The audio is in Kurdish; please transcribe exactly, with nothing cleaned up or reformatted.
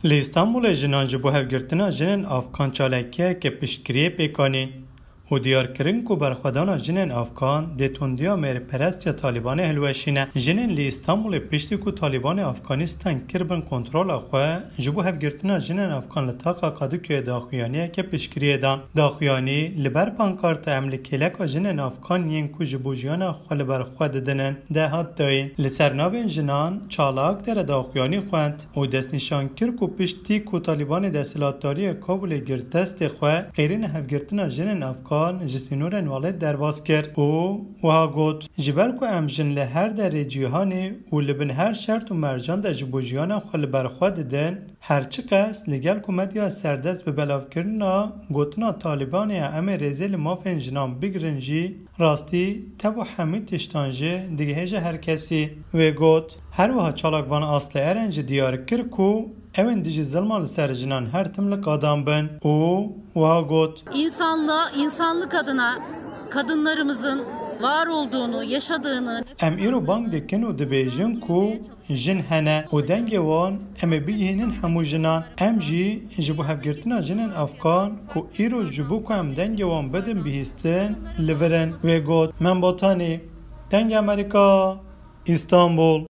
Li Îstanbulê jinan ji bo hevgirtina jinên Afgan çalakiyeke piştgiriyê pêk anîn û diyar kirin ku berxwedana jinên Afgan dê tundiya mêrperestiya Talîbanê hilweşîne. Jinên li Îstanbulê piştî ku Talîbanê Afganîstan kiribin kontrola xwe, ji bo hevgirtina jinên Afgan li taxa Kadıköyê daxuyaniyeke piştgiriyê dan. Daxuyanî li ber pankarta "Em li kêleka jinên Afgan yên ku ji bo jiyana xwe li ber xwe didinin" de hat dayîn. Li ser navên jinan çalak dere daxuyanî xwend û destnîşan kir ku piştî ku Talîbanê desthilatdariyê Kabulê girt destê xwe, qêrîna hevgirtina jinên Afgan ji sînorên welat derbas kir û wiha got, "Ji ber ku em jin li her derê cîhanê û li bin her şert û mercan de ji bo jiyana xwe li ber xwe didin, her çiqas li gel ku medya serdest bi belavkirina gotina Talîbanê ya em ê rêzê li mafên jinan bigirin jî, rastî tev û hemî tiştan jî digihêje her kesî." Wê got, her wiha çalakvan Aslı Eren jî diyar kir ku ew ên dijî zilma li ser jinan her tim li qadan bin û wiha got, İnsanlığa, insanlık adına kadınlarımızın var olduğunu, yaşadığını "Em îro bang dikin û dibêjin ku jin hene û dengê wan em ê bigihînin hemû jinan. Em jî ji bo hevgirtina jinên Afgan ku îro ji bo ku em dengê wan bidin bihîstin, li vir in." Wê got, Membatanî, Dengê Amerîka, Îstanbul.